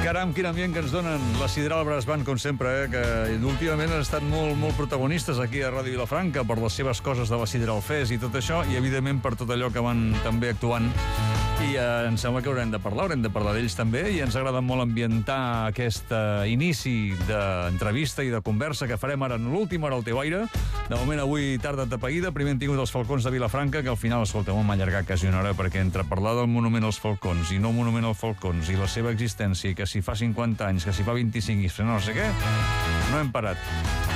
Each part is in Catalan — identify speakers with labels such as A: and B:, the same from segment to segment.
A: Caram, quin ambient que ens donen la Sidral Brass Band, com sempre, que últimament han estat molt protagonistes aquí a Ràdio Vilafranca per les seves coses de la Sidral Fest i tot això, i evidentment per tot allò que van també actuant. I em sembla que haurem de parlar d'ells també, i ens agrada molt ambientar aquest inici d'entrevista i de conversa que farem ara en l'última hora al teu aire. De moment avui tarda tapeïda, primer hem tingut els Falcons de Vilafranca, que al final, escolta, m'ha allargat quasi una hora, perquè entre parlar del monument als Falcons i no monument als Falcons i la seva existència, que si fa 50 anys, que si fa 25 i no sé què, no hem parat.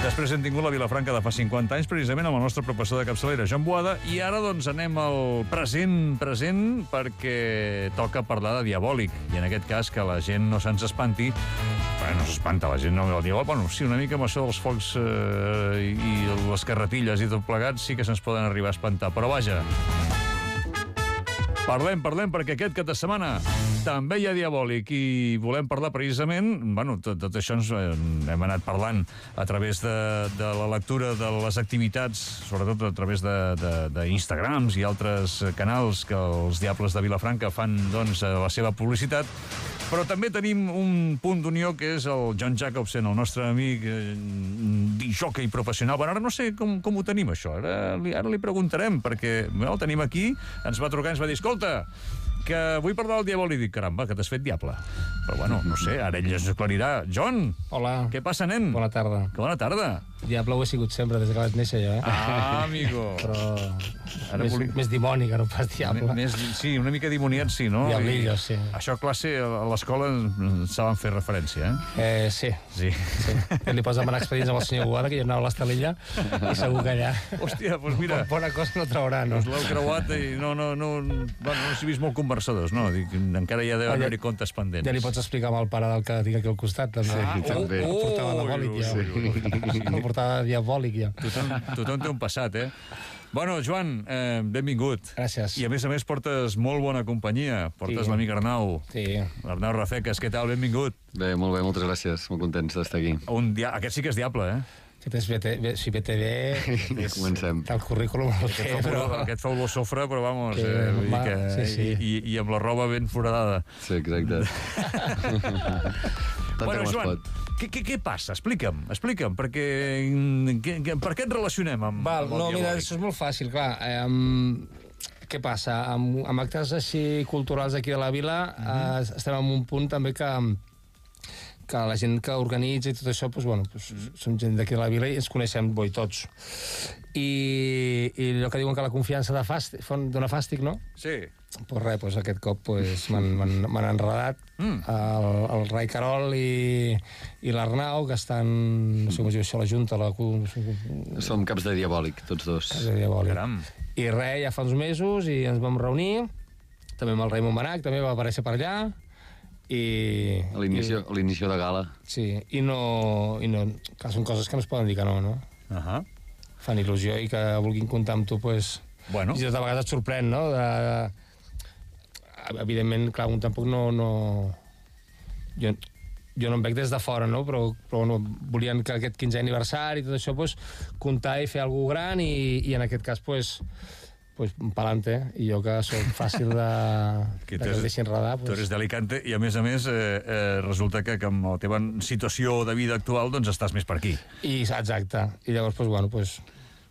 A: Després hem tingut la Vilafranca de fa 50 anys, precisament amb el nostre professor de capçalera, Joan Boada, i ara doncs anem al present, perquè toca parlar de Diabòlic, i en aquest cas que la gent no se'ns espanti. No s'espanta la gent, no el diu, bueno, sí, una mica amb això dels focs i les carretilles i tot plegat sí que se'ns poden arribar a espantar, però vaja, parlem, perquè aquest cap de setmana també hi ha Diabòlic i volem parlar precisament, bueno, tot això ens hem anat parlant a través de la lectura de les activitats, sobretot a través d'Instagrams i altres canals que els Diables de Vilafranca fan, doncs, la seva publicitat, però també tenim un punt d'unió que és el John Jacobsen, el nostre amic discjòquei professional. Bueno, ara no sé com ho tenim, això. Ara li preguntarem, perquè el tenim aquí, ens va trucar i ens va dir, escolta, que vull parlar del Diabòlic. Dic, caramba, que t'has fet diable. Però bueno, no sé, ara ell es aclarirà. John!
B: Hola.
A: Què passa, nen?
B: Bona tarda.
A: Que bona tarda.
B: Diable ho he sigut sempre, des que vaig néixer jo,
A: Ah, amigo.
B: Però més dimoni que no pas diable.
A: Sí, una mica dimoniat, sí, no?
B: Diablillo, sí.
A: Això a classe, a l'escola, saben fer referència,
B: Sí.
A: Sí.
B: Li pots demanar expedients amb el senyor Boada, que jo anava a l'Estelilla, i segur que allà...
A: Hòstia, doncs mira...
B: Bona cosa no traurà, no?
A: Us l'heu creuat i no s'he vist molt conversadors, no? Dic, encara hi ha d'haver-hi comptes pendents.
B: Ja li pots explicar amb el pare del que tinc aquí al costat, també.
C: Sí, també.
B: El portava diabòlic, ja. El portava diabòlic, ja.
A: Tothom té un passat, eh? Bueno, Joan, benvingut.
B: Gràcies.
A: I a més portes molt bona companyia. Portes l'amic Arnau.
B: Sí.
A: Arnau Rafecas, què tal? Benvingut.
C: Bé, molt bé, moltes gràcies. Molt contents d'estar aquí.
A: Aquest sí que és diable, eh?
B: Aquest és si BTV...
C: Ja comencem.
B: El currículum el té, però...
A: Aquest feu lo sofre, però vamos...
B: Sí.
A: I amb la roba ben foradada.
C: Sí, exacte.
A: Bueno, Joan, què passa? Explica'm, perquè per què et relacionem amb el Diabòlic?
B: Mira, això és molt fàcil, clar. Què passa? Amb actes així culturals aquí de la vila estem en un punt també que la gent que organitza i tot això, som gent d'aquí de la vila i ens coneixem tots. I allò que diuen que la confiança dona fàstic, no?
A: Sí.
B: Pues res, aquest cop m'han enredat el Rai Carol i l'Arnau, que estan, no sé com es diu això, la Junta,
C: Som caps de Diabòlic, tots dos.
B: Caps de Diabòlic.
A: Caram.
B: I res, ja fa uns mesos i ens vam reunir, també amb el Raimon Manac, també va aparèixer per allà, i...
C: A l'inici de gala.
B: Sí, i no... Clar, són coses que no es poden dir que no? Fan il·lusió i que vulguin comptar amb tu,
A: Bueno.
B: I de vegades et sorprèn, no? Evidentment, clar, un tampoc no... Jo no em veig des de fora, no? Però bueno, volien que aquest 15è aniversari i tot això, comptar i fer alguna gran i en aquest cas, pa'lante, i jo que soc fàcil que em deixi enredar.
A: Tu eres d'Alicante i a més resulta que amb la teva situació de vida actual doncs estàs més per aquí.
B: Exacte. I llavors,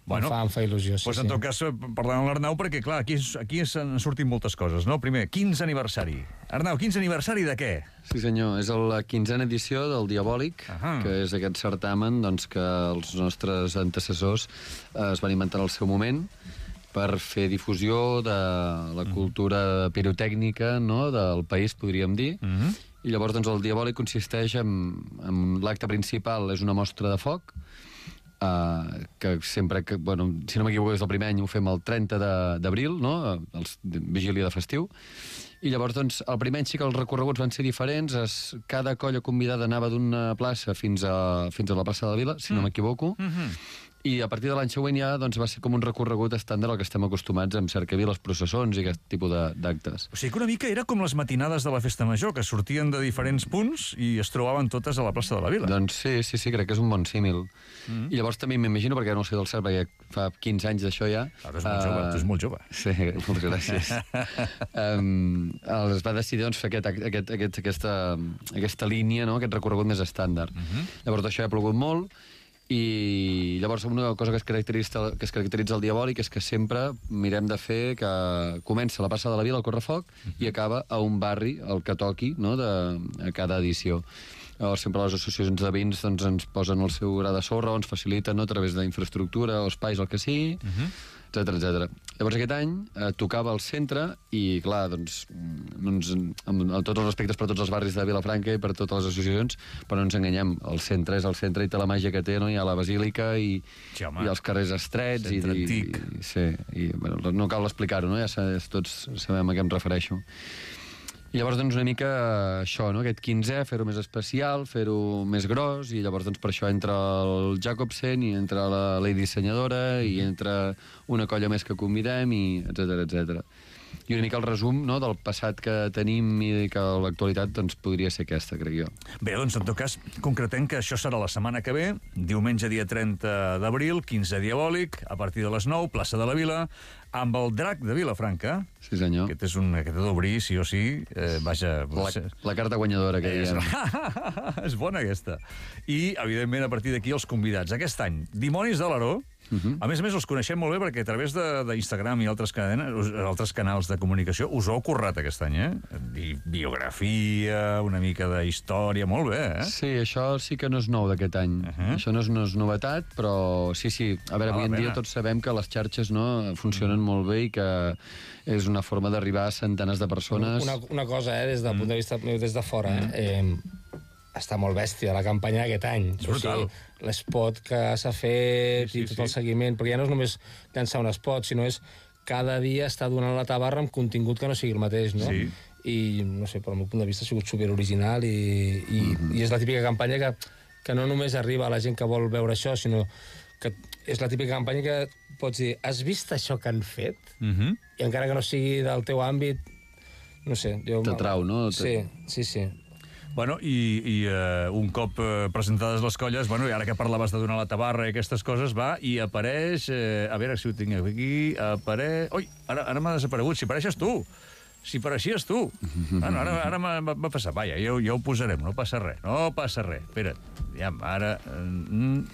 B: em fa il·lusió.
A: En tot cas, parlant amb l'Arnau, perquè clar, aquí s'han sortit moltes coses, no? Primer, 15 aniversari. Arnau, 15 aniversari de què?
C: Sí, senyor, és la 15a edició del Diabòlic, que és aquest certamen que els nostres antecessors es van inventar en el seu moment per fer difusió de la cultura pirotècnica, no?, del país, podríem dir. I llavors el Diabòlic consisteix en l'acte principal, és una mostra de foc, que sempre, si no m'equivoco, és el primer any, ho fem el 30 d'abril, no?, vigília de festiu. I llavors, el primer any sí que els recorreguts van ser diferents, cada colla convidada anava d'una plaça fins a la plaça de la Vila, si no m'equivoco, i a partir de l'any següent ja va ser com un recorregut estàndard al que estem acostumats amb cercaviles, processons i aquest tipus d'actes.
A: O sigui que una mica era com les matinades de la Festa Major, que sortien de diferents punts i es trobaven totes a la plaça de la Vila.
C: Doncs sí, crec que és un bon símil. I llavors també m'imagino, perquè no sé del cert, perquè fa 15 anys d'això ja.
A: Tu és molt jove.
C: Sí, moltes gràcies. Es va decidir doncs, fer aquesta línia, no? Aquest recorregut més estàndard. Llavors això ha plogut molt, i llavors una cosa que es caracteritza el Diabòlic és que sempre mirem de fer que comença la Plaça de la Vila, el Correfoc, i acaba a un barri, el que toqui, no? A cada edició. Llavors, sempre les associacions de veïns doncs, ens posen el seu gra de sorra o ens faciliten, no? A través d'infraestructura o espais, el que sigui, etcètera. Llavors aquest any tocava al centre i, clar, doncs, amb tots els respectes per tots els barris de Vilafranca i per totes les associacions, però no ens enganyem, el centre és el centre i té la màgia que té, no? Hi ha la basílica i els carrers estrets.
A: Centre antic.
C: Bueno, no cal explicar-ho, no? Ja tots sabem a què em refereixo. I llavors, doncs, una mica això, no? Aquest 15è, fer-ho més especial, fer-ho més gros, i llavors, doncs, per això entra el Jacobsen, i entra la dissenyadora, i entra una colla més que convidem, i etcètera. I una mica el resum, no?, del passat que tenim i que l'actualitat doncs, podria ser aquesta, crec jo.
A: Bé, doncs, en tot cas, concretem que això serà la setmana que ve, diumenge dia 30 d'abril, 15 Diabòlic, a partir de les 9, plaça de la Vila, amb el Drac de Vilafranca.
C: Sí, senyor.
A: Aquest ha d'obrir, sí o sí. Vaja...
C: La carta guanyadora que diem.
A: És bona, aquesta. I, evidentment, a partir d'aquí, els convidats. Aquest any, Dimonis de l'Aró. A més, els coneixem molt bé perquè a través d'Instagram i altres canals de comunicació us ho heu currat aquest any, biografia, una mica de història, molt bé,
C: Sí, això sí que no és nou d'aquest any. Això no és novetat, però sí. A veure, avui en dia tots sabem que les xarxes funcionen molt bé i que és una forma d'arribar a centenars de persones.
B: Una cosa, des del punt de vista meu des de fora, està molt bèstia la campanya d'aquest any.
A: És brutal.
B: L'espot que s'ha fet i tot el seguiment, perquè ja no és només llançar un espot, sinó és cada dia estar donant la tabarra amb contingut que no sigui el mateix, no?
A: Sí.
B: I, no sé, pel meu punt de vista ha sigut superoriginal i és la típica campanya que no només arriba a la gent que vol veure això, sinó que és la típica campanya que pots dir, has vist això que han fet? I encara que no sigui del teu àmbit, no sé...
C: T'atrau, no?
B: Sí.
A: Bueno, i un cop presentades les colles, bueno, i ara que parlaves de donar la tabarra i aquestes coses, va, i apareix... a veure si ho tinc aquí... Ui, ara m'ha desaparegut. Si apareixes tu! Si apareixies tu! Bueno, ara m'ha passat. Vaja, ja ho posarem, no passa res. Espera't. Ara...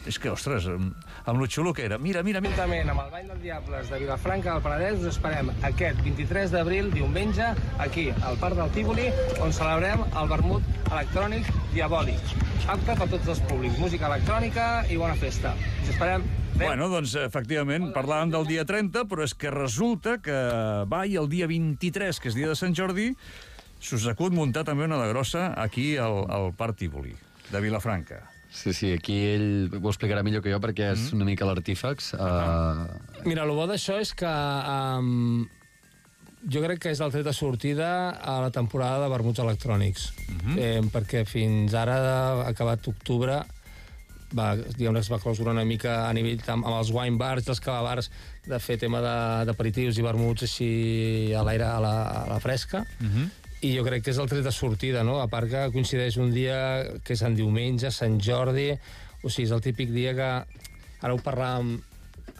A: És que, ostres, amb lo xulo que era. Mira.
B: Juntament amb el Ball dels Diables de Vilafranca del Penedès us esperem aquest 23 d'abril, diumenge, aquí, al Parc del Tívoli, on celebrem el vermut electrònic Diabòlic. Apte per tots els públics. Música electrònica i bona festa. Us esperem.
A: Bueno, doncs, efectivament, parlàvem del dia 30, però és que resulta que i el dia 23, que és dia de Sant Jordi, s'us acut muntar també una de grossa aquí al Parc Tívoli, de Vilafranca.
C: Sí, aquí ell ho explicarà millor que jo perquè és una mica l'artífex.
B: Mira, el bo d'això és que jo crec que és el tret de sortida a la temporada de vermuts electrònics, perquè fins ara, acabat octubre, diguem-ne que es va clausurar una mica a nivell amb els wine bars i els cava bars de fer tema d'aperitius i vermuts així a l'aire, a la fresca, i jo crec que és el tret de sortida, no? A part que coincideix un dia que és en diumenge, Sant Jordi, o sigui, és el típic dia que... Ara ho parlàvem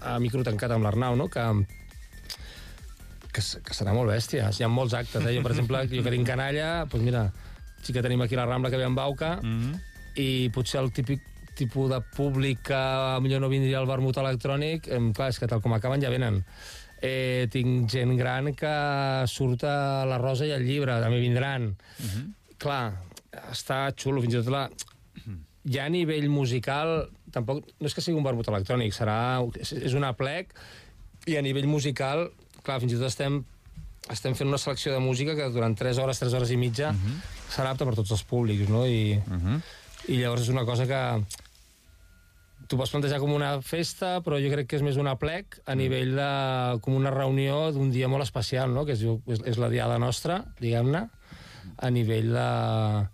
B: a micro tancat amb l'Arnau, no? Que serà molt bèstia. Hi ha molts actes, Jo, per exemple, jo que tinc canalla, doncs mira, sí que tenim aquí la Rambla que ve amb Bauca, i potser el típic tipus de públic que millor no vindria al vermut electrònic, clar, és que tal com acaben ja venen. Tinc gent gran que surt a la Rosa i al Llibre, també vindran. Clar, està xulo, fins i tot ja a nivell musical, tampoc no és que sigui un vermut electrònic, és un aplec, i a nivell musical, clar, fins i tot estem fent una selecció de música que durant 3 hores i mitja serà apta per tots els públics, no? I llavors és una cosa que tu pots plantejar com una festa, però jo crec que és més un aplec a nivell de... com una reunió d'un dia molt especial, no? Que és la diada nostra, diguem-ne, a nivell de...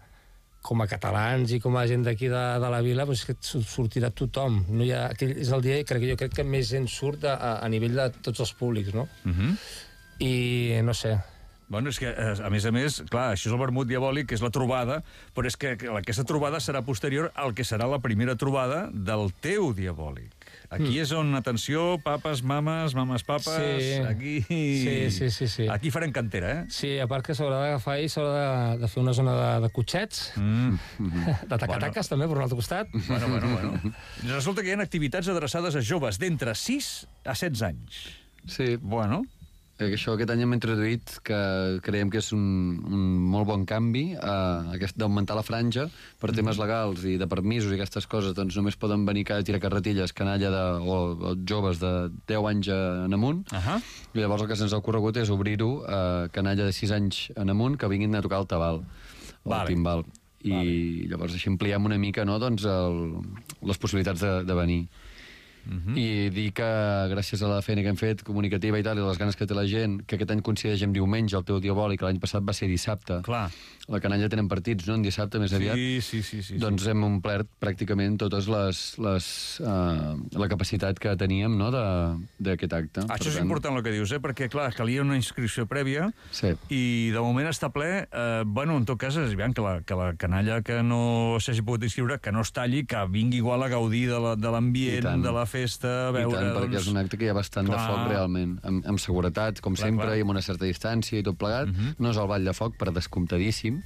B: com a catalans i com a gent d'aquí de la vila, doncs que sortirà tothom. No hi ha... És el dia, jo crec que més gent surt a nivell de tots els públics, no? I no sé...
A: Bueno, és que, a més, clar, això és el vermut diabòlic, que és la trobada, però és que aquesta trobada serà posterior al que serà la primera trobada del teu diabòlic. Aquí és on, atenció, papes, mames, papes... Aquí...
B: Sí.
A: Aquí farem cantera, eh?
B: Sí, a part que s'haurà d'agafar i s'haurà de fer una zona de cotxets, de tacataques també, per un altre costat.
A: Bueno. Resulta que hi ha activitats adreçades a joves d'entre 6 a 16 anys.
C: Sí.
A: Bueno...
C: Això aquest any hem introduït, que creiem que és un molt bon canvi, d'augmentar la franja per temes legals i de permisos i aquestes coses, doncs només poden venir a tirar carretilles canalla o joves de 10 anys en amunt, i llavors el que se'ns ha ocorregut és obrir-ho a canalla de 6 anys en amunt que vinguin a tocar el tabal o el timbal. I llavors així ampliem una mica, no, doncs, les possibilitats de venir. I dir que gràcies a la feina que hem fet comunicativa i tal, i les ganes que té la gent, que aquest any coincideix amb diumenge el teu diabòlic, l'any passat va ser dissabte.
A: Clar.
C: La canalla tenen partits, no?, en dissabte més aviat.
A: Sí.
C: Doncs hem omplert pràcticament totes la capacitat que teníem, no?, d'aquest acte.
A: Això és important el que dius, perquè, clar, calia una inscripció prèvia i de moment està ple. Bueno, en tot cas, és evident que la canalla que no s'hagi pogut inscriure, que no es talli, que vingui igual a gaudir de l'ambient, de la festa, a veure...
C: I tant, perquè és un acte que hi ha bastant de foc realment, amb seguretat, com sempre, i amb una certa distància i tot plegat. No és el ball de foc, per descomptadíssim,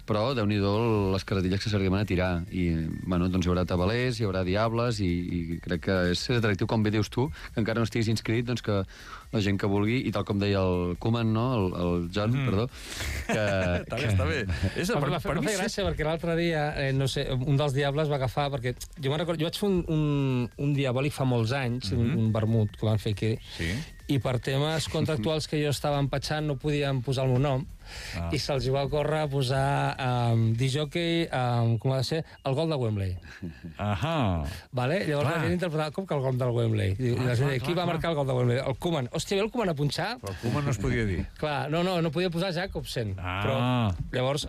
C: però déu-n'hi-do les carretilles que s'arriben a tirar. I, bueno, doncs hi haurà tabalers, hi haurà diables, i crec que és atractiu, com bé dius tu, que encara no estiguis inscrit, doncs que la gent que vulgui, i tal com deia el Koeman, no?, el John, perdó, que...
A: Està bé.
B: Em fa gràcia, perquè l'altre dia, no sé, un dels diables va agafar, perquè jo vaig fer un diabòlic fa molts anys, un vermut que van fer aquí, i per temes contractuals que jo estava empatxant no podien posar el meu nom, i se'ls va córrer a posar disjockey, com ha de ser, el gol de Wembley. Llavors la gent interpretava com que el gol del Wembley. I la gent deia, qui va marcar el gol de Wembley? El Koeman. Hòstia, ve el Koeman a punxar?
A: Però el Koeman no es podia dir.
B: Clar, no podia posar Jacobsen. Però llavors,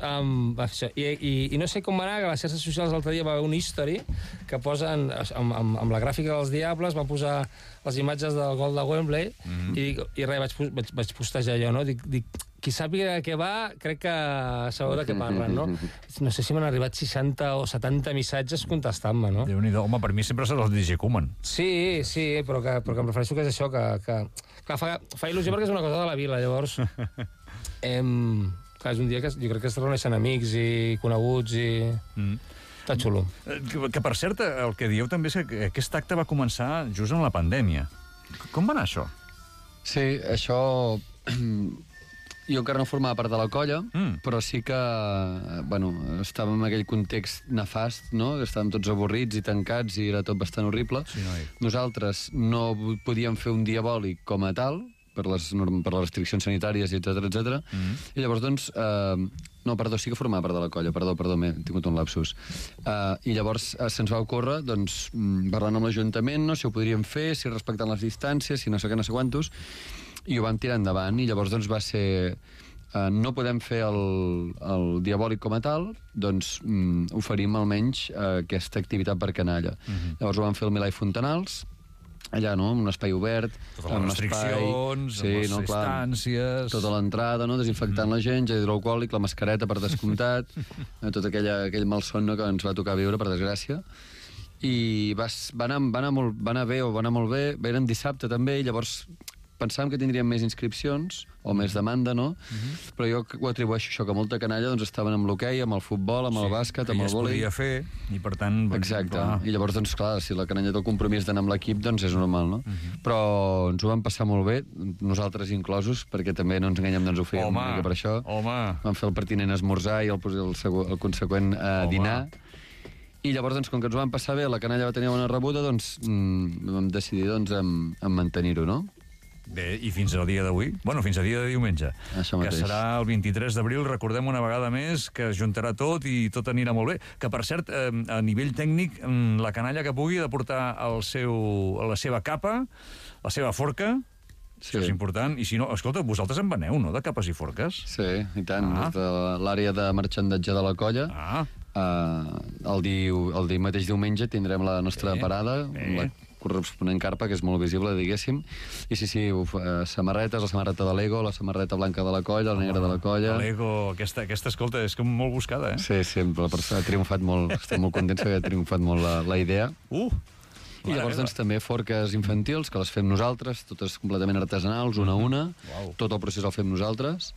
B: i no sé com va anar, que a les xarxes socials l'altre dia va haver un history que posen, amb la gràfica dels Diables, va posar les imatges del gol de Wembley, i res, vaig postejar jo, no? Dic, qui sàpiga de què va, crec que sabeu de què parlen, no? No sé si m'han arribat 60 o 70 missatges contestant-me, no?
A: Déu-n'hi-do. Home, per mi sempre serà el DJ Koeman.
B: Sí, però que em refereixo que és això, que fa il·lusió perquè és una cosa de la vila, llavors... És un dia que jo crec que es reuneixen amics i coneguts i... Està xulo.
A: Que, per cert, el que dieu també és que aquest acte va començar just en la pandèmia. Com va anar això?
C: Sí, això... Jo encara no formava part de la colla, però sí que, bueno, estàvem en aquell context nefast, no?, que estàvem tots avorrits i tancats i era tot bastant horrible. Nosaltres no podíem fer un diabòlic com a tal, per les restriccions sanitàries, etc. I llavors, doncs... No, perdó, sí que formava part de la colla, perdó, m'he tingut un lapsus. I llavors se'ns va ocórrer, doncs, parlant amb l'Ajuntament, no?, si ho podríem fer, si respectant les distàncies, si no sé què, no sé quantos, i ho vam tirar endavant, i llavors doncs va ser... no podem fer el diabòlic com a tal, doncs oferim almenys aquesta activitat per canalla. Llavors ho vam fer al Milà i Fontanals, allà, no?, un espai obert,
A: totes les restriccions, les distàncies...
C: Tota l'entrada, no?, desinfectant la gent, gel hidroalcohòlic, la mascareta per descomptat, tot aquell malson que ens va tocar viure, per desgràcia. I va anar bé, eren dissabte també, i llavors pensàvem que tindríem més inscripcions, o més demanda, no? Però jo ho atribueixo això, que molta canalla doncs, estaven amb l'hoquei, amb el futbol, amb el bàsquet, amb el vòlei...
A: Que ja es podia fer, i per tant...
C: Exacte, i llavors, doncs, clar, si la canalla té el compromís d'anar amb l'equip, doncs és normal, no? Però ens ho vam passar molt bé, nosaltres inclosos, perquè també no ens enganyem, doncs ho fèiem una mica per això. Vam fer el pertinent esmorzar i el conseqüent dinar. I llavors, doncs, com que ens ho vam passar bé, la canalla va tenir una rebuda, doncs vam decidir en mantenir-ho, no?
A: Bé, i fins al dia d'avui? Bueno, fins al dia de diumenge.
C: Això mateix.
A: Que serà el 23 d'abril, recordem una vegada més, que es juntarà tot i tot anirà molt bé. Que, per cert, a nivell tècnic, la canalla que pugui de portar la seva capa, la seva forca, això és important. I si no, escolta, vosaltres en veneu, no?, de capes i forques?
C: Sí, i tant. Des de l'àrea de marxandatge de la colla, el mateix diumenge tindrem la nostra parada, la corresponent carpa, que és molt visible, diguéssim. I sí, samarretes, la samarreta de Lego, la samarreta blanca de la colla, la negra de la colla...
A: Lego, aquesta, escolta, és com molt buscada, eh?
C: Sí, la persona ha triomfat molt, estem molt contents que ha triomfat molt la idea. I llavors doncs, també forques infantils, que les fem nosaltres, totes completament artesanals, una a una. Tot el procés el fem nosaltres.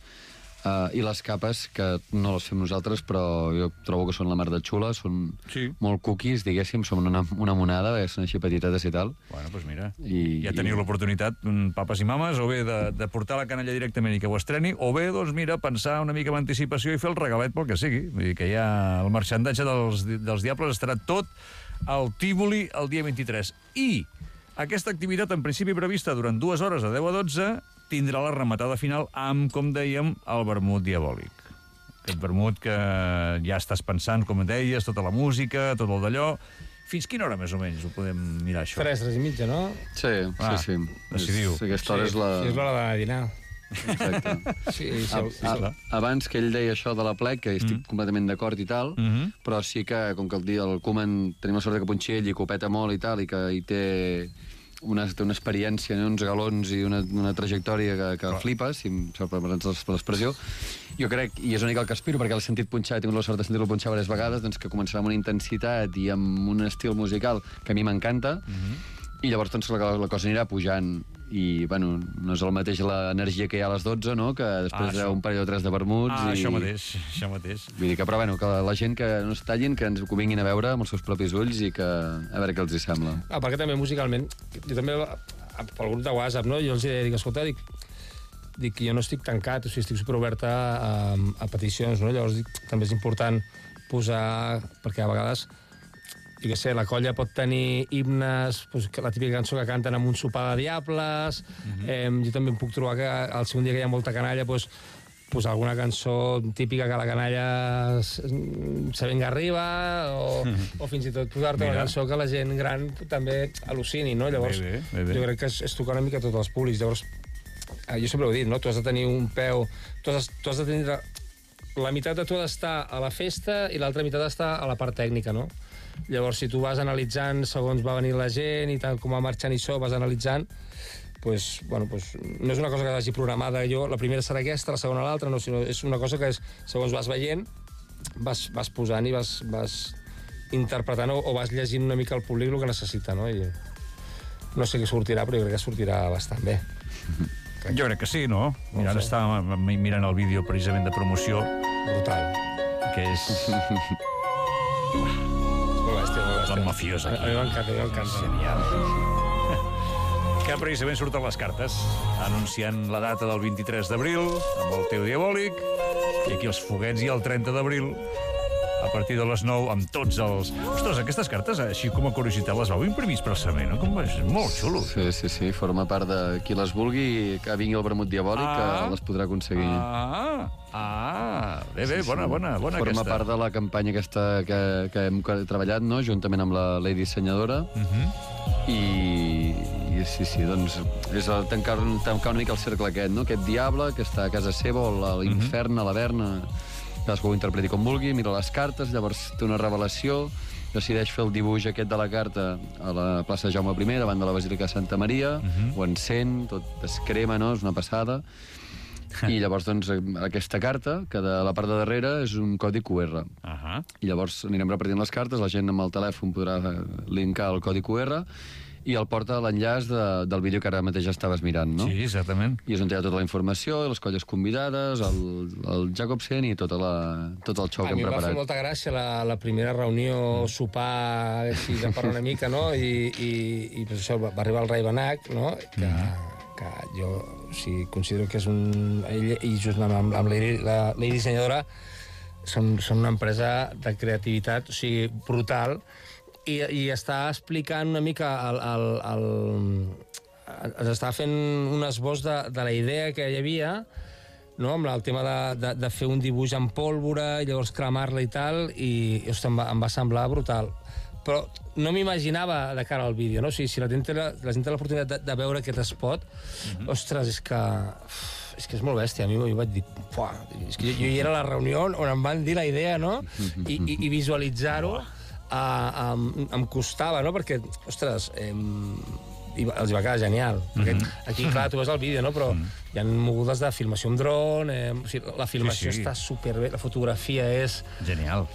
C: I les capes, que no les fem nosaltres, però jo trobo que són la mar de xules, són molt cookies, diguéssim, són una monada, són així petitetes i tal.
A: Bueno, doncs mira, ja teniu l'oportunitat, papes i mames, o bé de portar la canalla directament i que ho estreni, o bé, doncs mira, pensar una mica amb anticipació i fer el regalet pel que sigui. Vull dir que ja el marxandatge dels Diables estarà tot al Tívoli el dia 23. I aquesta activitat, en principi prevista durant 2 hores de 10 a 12, tindrà la rematada final amb, com dèiem, el vermut diabòlic. Aquest vermut que ja estàs pensant, com deies, tota la música, tot el d'allò. Fins quina hora, més o menys, ho podem mirar, això?
B: 3:30, no?
C: Sí.
A: Decidiu.
C: Aquesta hora és la...
B: Sí, és l'hora de dinar.
C: Exacte. Abans que ell deia això de la plec, que estic completament d'acord i tal, però sí que, com que el Koeman tenim la sort que punxi ell i que ho peta molt i tal, i que hi té una experiència, uns galons i una trajectòria que flipes, si em sap l'expressió. Jo crec, i és una mica el que aspiro, perquè l'he sentit punxar, he tingut la sort de sentir-lo punxar diverses vegades, doncs que començarà amb una intensitat i amb un estil musical que a mi m'encanta, i llavors doncs, la cosa anirà pujant. I, bueno, no és el mateix l'energia que hi ha a les 12, no?, que després d'un parell o 3 de vermuts.
A: Això mateix.
C: Vull dir que, però, bueno, que la gent que no es tallin, que ens ho vinguin a veure amb els seus propis ulls i que a veure què els hi sembla.
B: Perquè també musicalment, jo també, pel grup de WhatsApp, no?, jo els dic, escolta, dic que jo no estic tancat, o sigui, estic superoberta a peticions, no?, llavors dic, també és important posar, perquè a vegades... Jo què sé, la colla pot tenir himnes, la típica cançó que canten amb un sopar de diables. Jo també em puc trobar que el segon dia que hi ha molta canalla, posar alguna cançó típica que la canalla se venga arriba, o fins i tot posar-te una cançó que la gent gran també al·lucini, no? Llavors, jo crec que és tocar una mica tots els públics. Llavors, jo sempre ho he dit, no? Tu has de tenir un peu... Tu has de tenir... La meitat de tu ha d'estar a la festa i l'altra meitat ha d'estar a la part tècnica, no? Llavors, si tu vas analitzant segons va venir la gent i tal com va marxant i això, vas analitzant, no és una cosa que hagi programada jo, la primera serà aquesta, la segona l'altra, no, sinó és una cosa que segons vas veient, vas posant i vas interpretant o vas llegint una mica al públic el que necessita, no? I no sé què sortirà, però jo crec que sortirà bastant bé.
A: Jo crec que sí, no? Mira, ara estava mirant el vídeo precisament de promoció.
B: Brutal.
A: Que és... La mafiosa.
B: A mi m'encanta.
A: Genial. Que precisament surten les cartes anunciant la data del 23 d'abril amb el teu diabòlic, i aquí els foguets i el 30 d'abril a partir de les 9 amb tots els... Ostres, aquestes cartes, així com a curiositat, les vau imprimir expressament, no? És molt xulo.
C: Sí, forma part de qui les vulgui, que vingui el vermut diabòlic, que les podrà aconseguir.
A: Bé, bona aquesta.
C: Forma part de la campanya aquesta que hem treballat, no?, juntament amb la dissenyadora, i sí, doncs és tancar una mica el cercle aquest, no?, aquest diable que està a casa seva, o a l'infern, a l'Averna, cadascú ho interpreti com vulgui, mira les cartes, llavors té una revelació, decideix fer el dibuix aquest de la carta a la plaça Jaume I, davant de la Basílica de Santa Maria, ho encén, tot es crema, no?, és una passada, i llavors, doncs, aquesta carta, que de la part de darrere és un codi QR. I llavors anirem repartint les cartes, la gent amb el telèfon podrà linkar el codi QR, i el porta a l'enllaç del vídeo que ara mateix estaves mirant, no?
A: Sí, exactament.
C: I és on hi ha tota la informació, les colles convidades, el Jacobsen i tot el xou que hem preparat. A mi em va
B: fer molta gràcia la primera reunió, sopar, així de parlar una mica, no? I pues això, va arribar el Rai Benac, no? Que jo considero que és un... Ell i just amb la dissenyadora són una empresa de creativitat, o sigui, brutal, i està explicant una mica ens està fent un esbós de la idea que hi havia, no?, amb el tema de fer un dibuix amb pólvora i llavors cremar-la i tal, i em va semblar brutal. Però no m'imaginava de cara al vídeo, no? O sigui, si la gent té l'oportunitat de veure aquest spot, ostres, és que és molt bèstia. A mi vaig dir, és que jo hi era a la reunió on em van dir la idea, no?, i visualitzar-ho em costava, no?, perquè, ostres, els va quedar genial. Aquí, clar, tu veus el vídeo, no?, però hi ha mogudes de filmació amb dron, la filmació està superbé, la fotografia és...
A: Genial.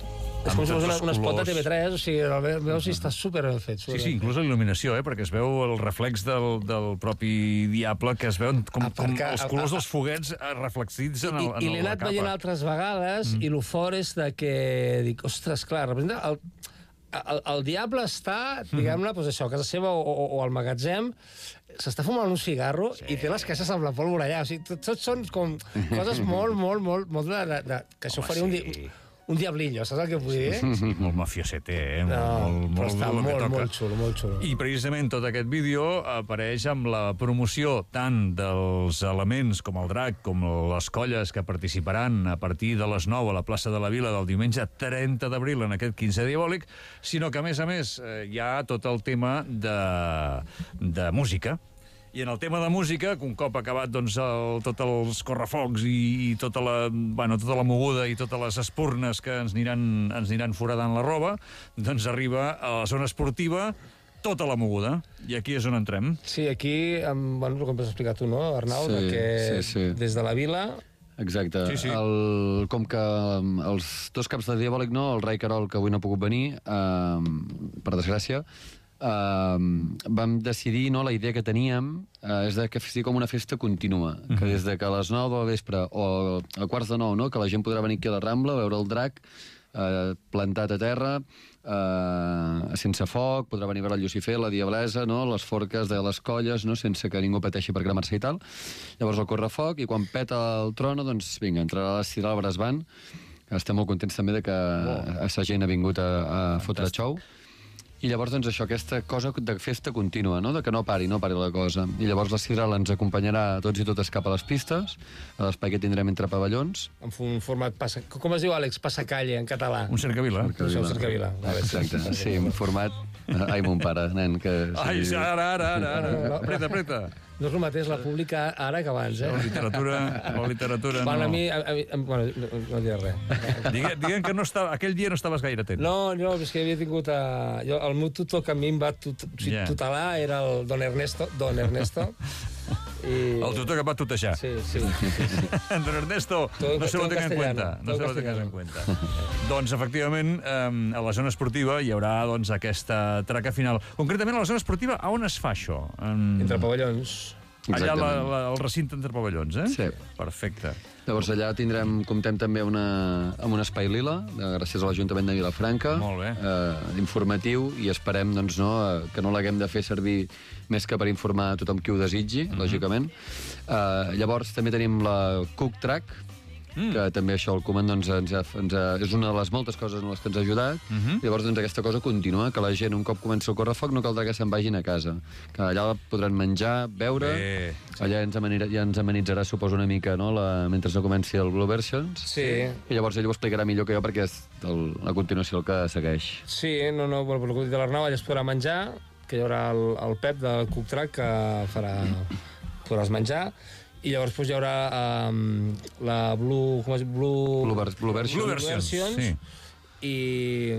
B: És com si fos un espot de TV3, o sigui, el veus i està super ben fet.
A: Sí, inclús la il·luminació, perquè es veu el reflex del propi diable, que es veuen com els colors dels foguets reflexits en la capa.
B: I l'he anat veient altres vegades, i el fort és que dic, ostres, clar, representa... El diable està, diguem-ne, doncs això, a casa seva o al magatzem, s'està fumant un cigarro i té les caixes amb la pólvora allà. O sigui, tots són com coses molt que això faria un diablillo, saps el que vull dir?
A: Molt mafiosete,
B: però està molt xulo, molt xulo.
A: I precisament tot aquest vídeo apareix amb la promoció tant dels elements com el drac, com les colles que participaran a partir de les 9 a la plaça de la Vila del diumenge 30 d'abril en aquest 15 diabòlic, sinó que, a més, hi ha tot el tema de música. I en el tema de música, un cop acabat tots els correfocs i tota la moguda i totes les espurnes que ens aniran foradant la roba, doncs arriba a la zona esportiva tota la moguda. I aquí és on entrem.
B: Sí, aquí, el que em vas explicar tu, no, Arnau?
C: Sí.
B: Des de la Vila...
C: Exacte.
A: Sí.
C: Com que els dos caps de Diabòlic, no, el Rai Carol, que avui no ha pogut venir, per desgràcia, vam decidir, no, la idea que teníem és que sigui com una festa contínua, que des de que a les 9 de la vespre o a quarts de 9, no, que la gent podrà venir aquí a la Rambla a veure el drac plantat a terra, sense foc, podrà venir a veure el Llucifer, la Diablesa, no, les forques de les colles, no, sense que ningú pateixi per cremar-se i tal. Llavors el correfoc, i quan peta el trono, doncs vinga, entrarà la Sidral Bresban. Estem molt contents també de que sa gent ha vingut a fotre xou. I llavors, doncs, això, aquesta cosa de festa contínua, no?, de que no pari la cosa. I llavors la Sidral ens acompanyarà a tots i totes cap a les pistes, a l'espai que tindrem entre pavellons.
B: En un format... Com es diu, Àlex? Passacalle, en català.
A: Un cercavila.
B: Un cercavila.
C: Exacte, sí, un format... Ai, mon pare, nen, que...
A: Ai, ara. Apreta.
B: No és el mateix la pública ara que abans, eh?
A: La literatura no...
B: Bueno, a mi... Bueno, no diré res.
A: Diguem que aquell dia no estaves gaire atent.
B: No, és que havia tingut... El meu tutor que a mi em va tutelar era el Don Ernesto.
A: El tutor que va tutejar.
B: Sí.
A: Don Ernesto, no se lo tenga en cuenta. Doncs, efectivament, a la zona esportiva hi haurà aquesta traca final. Concretament, a la zona esportiva, a on es fa això?
B: Entre pavellons.
A: Allà al recinte entre pavellons, eh?
C: Sí.
A: Perfecte.
C: Llavors allà comptem també amb un espai lila, gràcies a l'Ajuntament de Vilafranca.
A: Molt bé.
C: Informatiu, i esperem que no l'haguem de fer servir més que per informar a tothom qui ho desitgi, lògicament. Llavors també tenim la Cook Track, que també això el Koeman és una de les moltes coses en les que ens ha ajudat. Llavors aquesta cosa continua, que la gent un cop comença el correfoc no caldrà que se'n vagin a casa, que allà podran menjar, beure. Allà ja ens amenitzarà, suposo, una mica, no?, mentre no comenci el Blue Versions.
B: Sí.
C: I llavors ell ho explicarà millor que jo, perquè és a continuació el que segueix.
B: Sí, per el que dic de l'Arnau, allà es podrà menjar, que hi haurà el Pep del Cook Track que podràs menjar. I llavors hi haurà la Blue
C: Versions.
B: Sí. I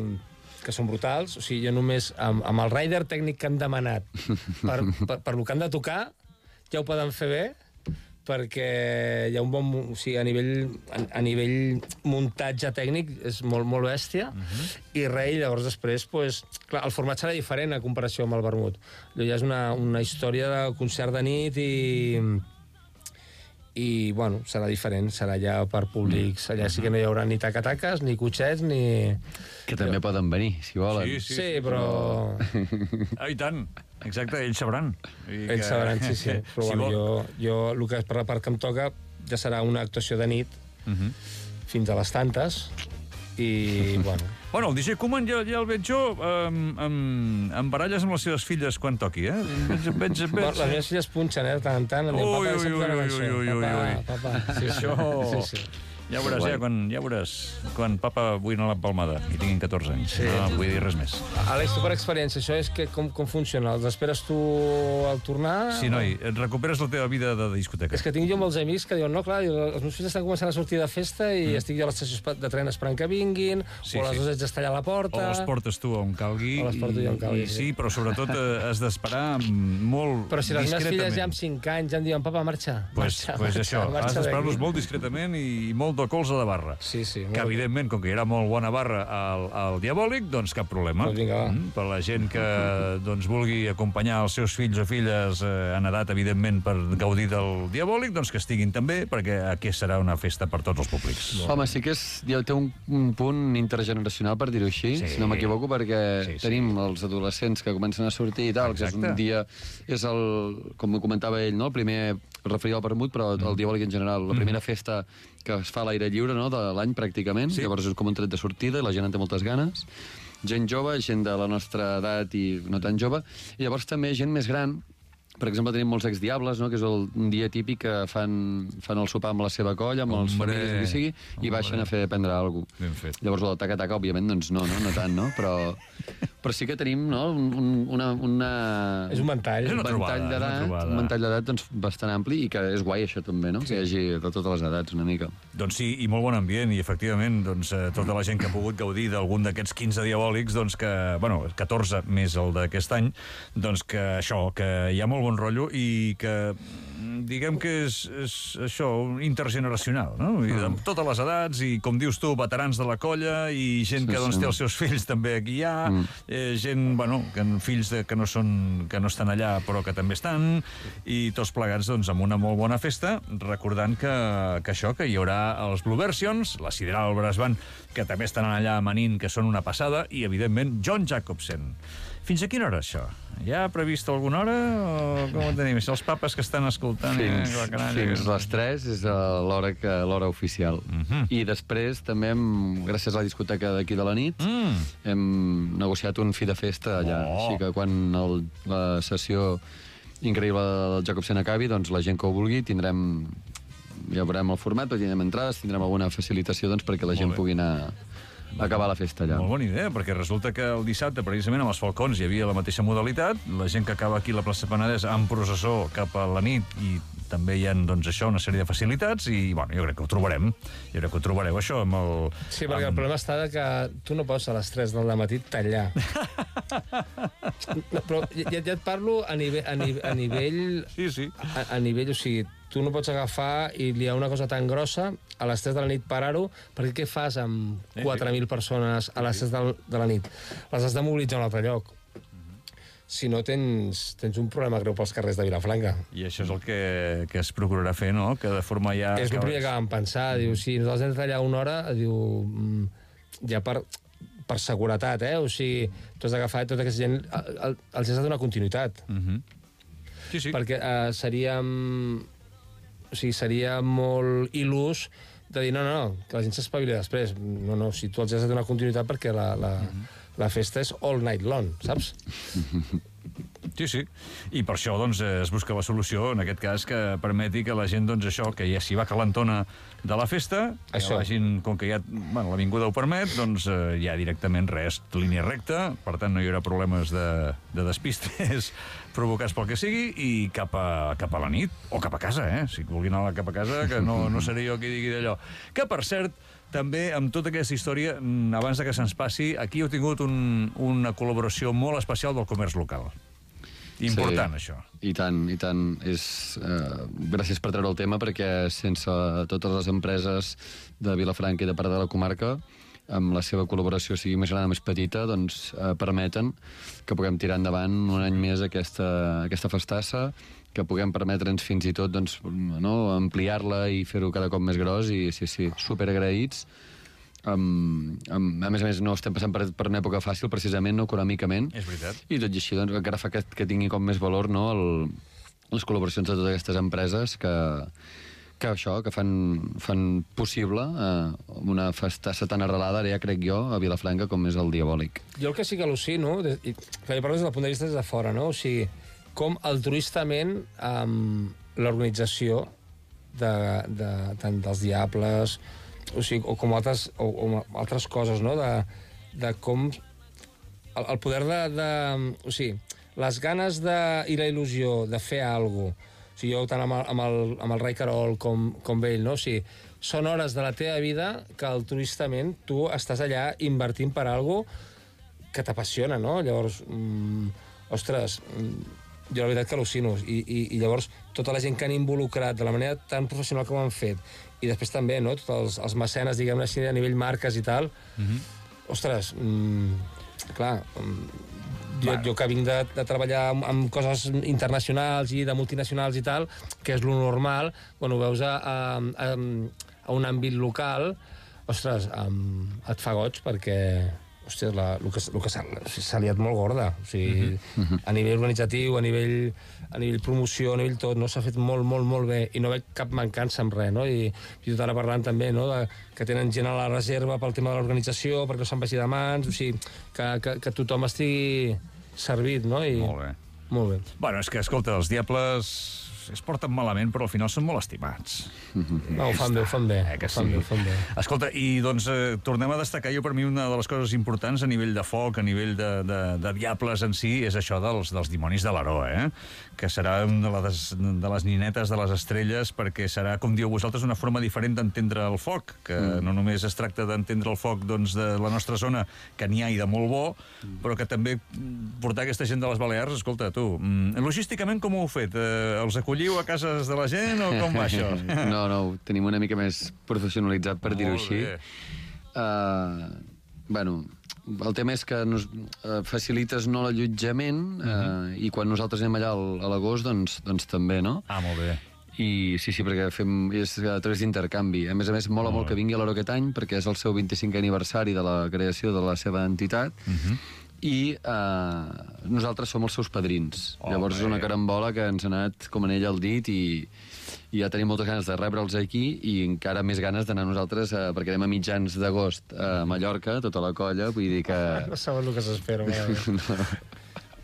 B: que són brutals. O sigui, jo només amb el rider tècnic que han demanat per lo que han de tocar ja ho poden fer bé, perquè hi ha un bon... O sigui, a nivell muntatge tècnic és molt bèstia. I llavors després, clar, el format serà diferent a comparació amb el vermut. Allò ja és una història de concert de nit i, bueno, serà diferent, serà ja per públics. Allà sí que no hi haurà ni tacataques, ni cotxets, ni...
C: Que també poden venir, si volen.
B: Sí, però...
A: I tant, exacte, ells sabran.
B: Ells sabran, sí. Però jo, el que és per la part que em toca, ja serà una actuació de nit, fins a les tantes, i, bueno...
A: Bueno, el DJ Koeman ja el veig jo amb baralles amb les seves filles quan toqui, eh?
B: Les meves filles punxen, de tant en tant. Papa.
A: Sí, això... Sí. Ja veuràs, quan papa vull anar a la Palmada i tinguin 14 anys. Sí. No vull dir res més.
B: Àlex, tu per experiència, això és que com funciona? Els esperes tu al tornar?
A: Sí, noi, et recuperes la teva vida de discoteca.
B: És que tinc jo molts amics que diuen, no, clar, els meus fills estan començant a sortir de festa i estic jo a l'estació de tren esperant que vinguin, o a les 2 haig d'estar allà a la porta...
A: O els portes tu on calgui.
B: O les porto jo on calgui,
A: sí. Però sobretot has d'esperar molt discretament.
B: Però si les meves filles ja amb 5 anys ja em diuen, papa, marxa.
A: Pues això, has d'esperar-los molt discretament i molt molta colza de barra.
B: Sí.
A: Que, evidentment, com que hi haurà molt bona barra al Diabòlic, doncs cap problema.
B: Doncs vinga, va.
A: Per la gent que doncs, vulgui acompanyar els seus fills o filles en edat, evidentment, per gaudir del Diabòlic, doncs que estiguin també, perquè aquí serà una festa per tots els públics.
C: Home, sí que té un punt intergeneracional, per dir-ho així, si no m'equivoco, perquè tenim els adolescents que comencen a sortir i tal, que és un dia, com comentava ell, no? El primer, referia al vermut, però el Diabòlic en general, la primera festa que es fa a l'aire lliure, no?, de l'any pràcticament, llavors és com un tret de sortida i la gent en té moltes ganes. Gent jove, gent de la nostra edat i no tan jove, i llavors també gent més gran. Per exemple, tenim molts exdiables, no?, que és un dia típic que fan el sopar amb la seva colla, amb els famílies, el que sigui, i baixen a prendre alguna cosa.
A: Ben fet.
C: Llavors, el taca-taca, òbviament, doncs no tant, no? Però sí que tenim, no?,
B: És un ventall.
A: És una trobada.
C: Un ventall d'edat doncs, bastant ampli i que és guai, això, també, no? Que hi hagi de totes les edats, una mica.
A: Doncs sí, i molt bon ambient, i efectivament, doncs, tota la gent que ha pogut gaudir d'algun d'aquests 15 diabòlics, doncs que, 14 més el d'aquest any, doncs que això, que hi ha molt bon rotllo i que diguem que és això, intergeneracional, no? I de totes les edats i, com dius tu, veterans de la colla i gent que doncs, té els seus fills també aquí hi ha, gent, fills que no estan allà però que també estan, i tots plegats doncs, amb una molt bona festa, recordant que hi haurà els Blue Versions, la Sideral Brass Band, que també estan allà amanint, que són una passada, i, evidentment, John Jacobsen. Fins a quina hora, això? Ja ha previst alguna hora o com ho tenim? Els papes que estan escoltant...
C: Fins les 3 és l'hora oficial. I després també, gràcies a la discoteca d'aquí de la nit, hem negociat un fi de festa allà. Així que quan la sessió increïble del Jacobsen acabi, doncs la gent que ho vulgui ja veurem el format, però tindrem entrades, tindrem alguna facilitació perquè la gent pugui anar a acabar la festa allà.
A: Molt bona idea, perquè resulta que el dissabte, precisament, amb els Falcons hi havia la mateixa modalitat, la gent que acaba aquí a la plaça Penedès amb processó cap a la nit, i també hi ha, doncs, això, una sèrie de facilitats, i, jo crec que ho trobarem. Jo crec que ho trobareu, això, amb el...
B: Sí, perquè el problema està que tu no pots a les 3 del matí tallar. Però ja et parlo a nivell...
A: Sí.
B: A nivell, o sigui, tu no pots agafar i liar una cosa tan grossa a les 3 de la nit, parar-ho, perquè què fas amb 4.000 persones a les 3 de la nit? Les has de mobilitzar a un altre lloc. Si no, tens un problema greu pels carrers de Vilafranca.
A: I això és el que es procurarà fer, no? Que de forma ja...
B: És el primer que vam pensar. Diu, si nosaltres hem de tallar una hora, diu, ja per seguretat, o sigui, tu has d'agafar tota aquesta gent, els has de donar continuïtat.
A: Sí.
B: Perquè seria molt il·lús de dir, no, que la gent s'espavili després. No, si tu els has de donar continuïtat perquè la festa és all night long, saps?
A: Sí. I per això, doncs, es busca la solució, en aquest cas, que permeti que la gent, doncs, això, que ja s'hi va calentona de la festa, que vagin, com que ja, l'avinguda ho permet, doncs, ja directament res, línia recta, per tant, no hi haurà problemes de despistes provocats pel que sigui, i cap a la nit, o cap a casa, si vulguin anar cap a casa, que no seré jo qui digui d'allò. Que, per cert, també, amb tota aquesta història, abans que se'ns passi, aquí heu tingut una col·laboració molt especial del comerç local. Important, això.
C: I tant. Gràcies per treure el tema, perquè sense totes les empreses de Vilafranca i de part de la comarca, amb la seva col·laboració, sigui més gran o més petita, doncs permeten que puguem tirar endavant un any més aquesta festassa, que puguem permetre'ns fins i tot doncs, ampliar-la i fer-ho cada cop més gros, i sí, superagraïts. A més, no estem passant per una època fàcil, precisament, no, econòmicament.
A: És veritat.
C: I tot i així, doncs, encara fa que tingui com més valor, no, les col·laboracions de totes aquestes empreses que fan possible una festassa tan arrelada, ara ja crec jo, a Vilafranca, com és el Diabòlic.
B: Jo el que sí que al·lucino, que jo parlo des del punt de vista des de fora, no? O sigui, com altruistament l'organització tant dels Diables, o sigui, o com altres coses, no? De com el poder o sigui, les ganes i la il·lusió de fer alguna cosa. O sigui, jo tant amb el Rai Carol com ell, no? O sigui, són hores de la teva vida que altruistament tu estàs allà invertint per alguna cosa que t'apassiona, no? Llavors, ostres, jo la veritat que al·lucino. I llavors, tota la gent que han involucrat de la manera tan professional com ho han fet, i després també, no?, tots els mecenes, diguem-ne així, a nivell marques i tal, ostres, clar, jo que vinc de treballar amb coses internacionals i de multinacionals i tal, que és lo normal, quan ho veus a un àmbit local, ostres, et fa goig perquè, hòstia, el que s'ha liat molt gorda. O sigui, a nivell organitzatiu, a nivell promoció, a nivell tot, no? S'ha fet molt, molt, molt bé i no veig cap mancança amb res, no? I tot ara parlant també, no?, que tenen gent a la reserva pel tema de l'organització, perquè no se'n vagi de mans, o sigui, que tothom estigui servit, no?
A: Molt bé.
B: Molt bé.
A: Bueno, és que, escolta, els Diables es porten malament, però al final són molt estimats.
B: No, ho fan bé, ho fan bé.
A: Que sí. Ho fan bé. Escolta, i doncs tornem a destacar, jo per mi una de les coses importants a nivell de foc, a nivell de Diables en si, és això dels dimonis de l'Aró, que serà una de les ninetes de les estrelles, perquè serà, com diu vosaltres, una forma diferent d'entendre el foc, que no només es tracta d'entendre el foc doncs, de la nostra zona, que n'hi ha i de molt bo, però que també portar aquesta gent de les Balears, escolta, tu, logísticament com ho heu fet? Els acolliu a cases de la gent o com va això?
C: No, ho tenim una mica més professionalitzat, per dir-ho així. Bueno, el tema és que facilites no l'allotjament i quan nosaltres anem allà a l'agost, doncs també, no?
A: Ah, molt bé.
C: I sí, perquè és a través d'intercanvi. A més, mola molt que vingui a l'Aro aquest any, perquè és el seu 25è aniversari de la creació de la seva entitat, i nosaltres som els seus padrins. Llavors és una carambola que ens ha anat com anell al dit i ja tenim moltes ganes de rebre'ls aquí i encara més ganes d'anar nosaltres, perquè anem a mitjans d'agost a Mallorca, tota la colla, vull dir que...
B: No saben el que s'espera.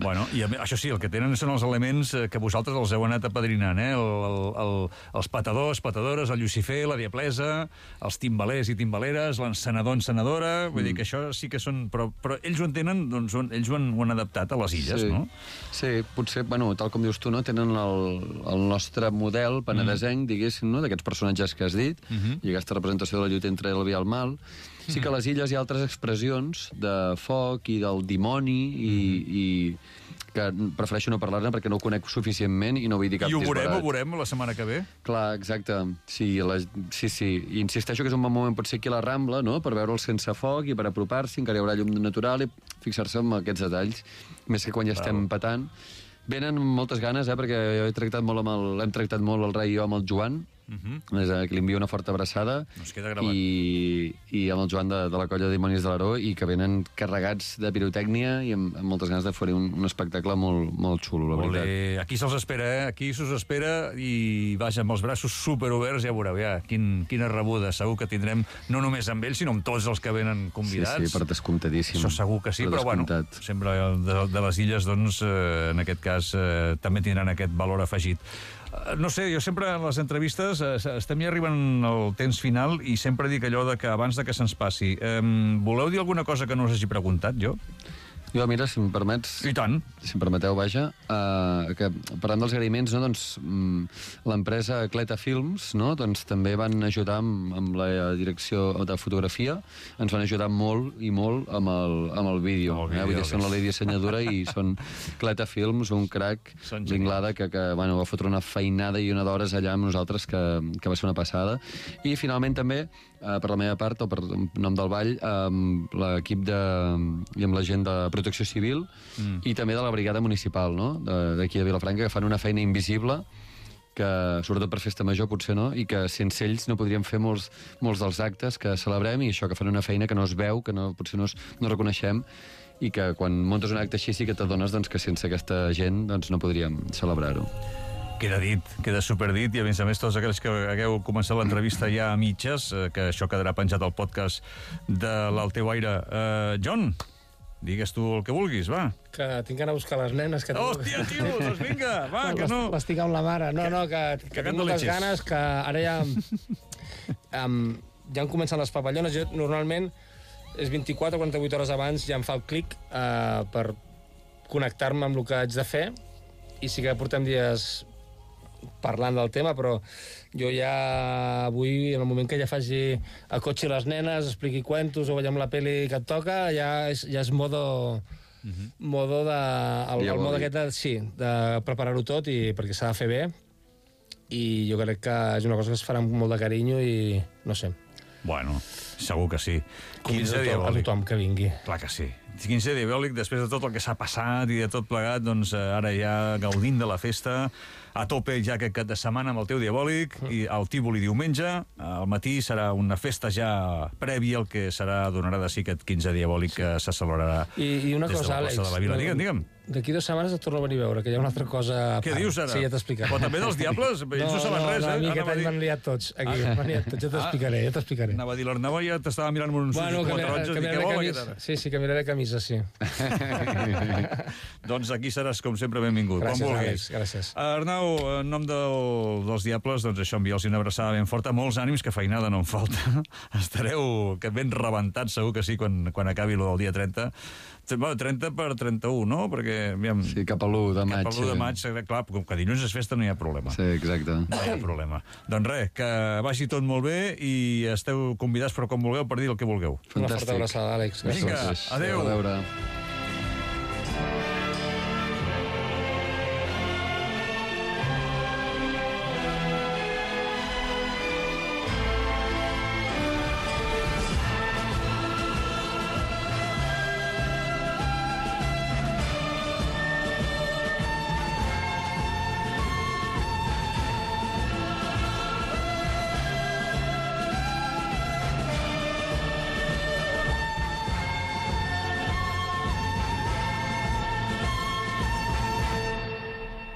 A: Bueno, i això sí, el que tenen són els elements que vosaltres els heu anat apadrinant, els patadors, patadores, el Lucifer, la Diablesa, els timbalers i timbaleres, l'encenedor, encenedora, vull dir que això sí que són... Però ells ho entenen, doncs ells ho han adaptat a les illes, no?
C: Sí, potser, bueno, tal com dius tu, no? Tenen el nostre model penedesenc, diguéssim, no? D'aquests personatges que has dit, i aquesta representació de la lluita entre el bé i el mal. Sí que a les illes hi ha altres expressions de foc i del dimoni i que prefereixo no parlar-ne perquè no ho conec suficientment i no vull dir cap disbarat.
A: I ho veurem la setmana que ve?
C: Clar, exacte. Sí. I insisteixo que és un bon moment potser aquí a la Rambla, no?, per veure'l sense foc i per apropar-s'hi, encara hi haurà llum natural i fixar-se en aquests detalls, més que quan ja estem petant. Venen moltes ganes, perquè jo hem tractat molt el rei i jo amb el Joan, que li envio una forta abraçada, i amb el Joan de la colla de Dimonis de l'Aró, i que venen carregats de pirotècnia i amb moltes ganes de fer un espectacle molt, molt xulo, la veritat.
A: Aquí se'ls espera, aquí s'us espera, i vaja, amb els braços superoberts, ja veureu, quina rebuda segur que tindrem, no només amb ells, sinó amb tots els que venen convidats.
C: Sí, per descomptadíssim.
A: Això segur que sí, però bueno, sempre de les illes, doncs, en aquest cas, també tindran aquest valor afegit. No sé, jo sempre en les entrevistes estem ja arribant al temps final i sempre dic allò de que abans de que se'ns passi, voleu dir alguna cosa que no us hagi preguntat, jo?
C: Jo, mira, si em permets...
A: I tant.
C: Si em permeteu, vaja, que parlant dels agraïments, no, doncs, l'empresa Cleta Films, no, doncs, també van ajudar amb la direcció de fotografia, ens van ajudar molt i molt amb el vídeo. Vull dir, són la llei dissenyadora i són Cleta Films, un crac d'Inglada que va fotre una feinada i una d'hores allà amb nosaltres que va ser una passada. I finalment també, per la meva part, o per nom del Vall, amb l'equip i amb la gent de Protecció Civil i també de la Brigada Municipal, no?, d'aquí de Vilafranca, que fan una feina invisible, que sobretot per festa major potser no, i que sense ells no podríem fer molts dels actes que celebrem, i això, que fan una feina que no es veu, que potser no reconeixem, i que quan muntes un acte així sí que t'adones que sense aquesta gent no podríem celebrar-ho.
A: Queda dit, queda superdit, i a més tots aquells que hagueu començat l'entrevista ja a mitges, que això quedarà penjat al podcast de l'Alteu Aire. John, digues tu el que vulguis, va.
B: Que tinc d'anar a buscar les nenes.
A: Hòstia, tio, doncs vinga, va, que no.
B: L'estic amb la mare. No, que tinc moltes ganes, que ara ja han començat les papallones. Jo, normalment, és 24 o 48 hores abans, ja em fa el clic per connectar-me amb el que haig de fer, i sí que portem dies parlant del tema, però jo ja avui, en el moment que ja faci el cotxe i les nenes, expliqui cuentos o veiem la pel·li que et toca, ja és modo modo el mode aquest de preparar-ho tot perquè s'ha de fer bé, i jo crec que és una cosa que es farà amb molt de carinyo i no sé.
A: Bueno, segur que sí.
B: Convido a tothom que vingui.
A: Clar que sí. 15 diabòlic, després de tot el que s'ha passat i de tot plegat, doncs ara ja gaudint de la festa, a tope ja aquest cap de setmana amb el teu diabòlic, i el Tívoli diumenge, al matí serà una festa ja prèvia al que donarà de si aquest 15 diabòlic que se celebrarà
B: I una cosa, Àlex,
A: de la Vila. Digue'm.
B: D'aquí 2 setmanes et torno a venir a veure, que hi ha una altra cosa...
A: Què dius ara?
B: Sí, ja t'explicaré.
A: Però també dels diables? Ells no saben res,
B: a mi aquest any m'han liat tots, aquí. M'han liat tots, ja t'explicaré.
A: Anava a dir, l'Arnau ja t'estava mirant amb uns ulls taronges i què vol aquest ara?
B: Sí, canviaré camisa, sí.
A: Doncs aquí seràs, com sempre, benvingut.
B: Gràcies, Àlex, gràcies.
A: Arnau, en nom dels diables, doncs això, enviar-los una abraçada ben forta, molts ànims, que feinada no en falta. Estareu ben rebentats, segur que sí, quan acabi el dia 30. Bueno, 30 per 31, no? Perquè, aviam...
C: Sí, cap a l'1 de maig.
A: Cap a l'1 de maig, clar, com que dilluns és festa no hi ha problema.
C: Sí, exacte.
A: No hi ha problema. Doncs res, que vagi tot molt bé i esteu convidats per com vulgueu per dir el que vulgueu.
B: Una forta abraçada, Àlex.
A: Vinga, adéu.
C: A veure.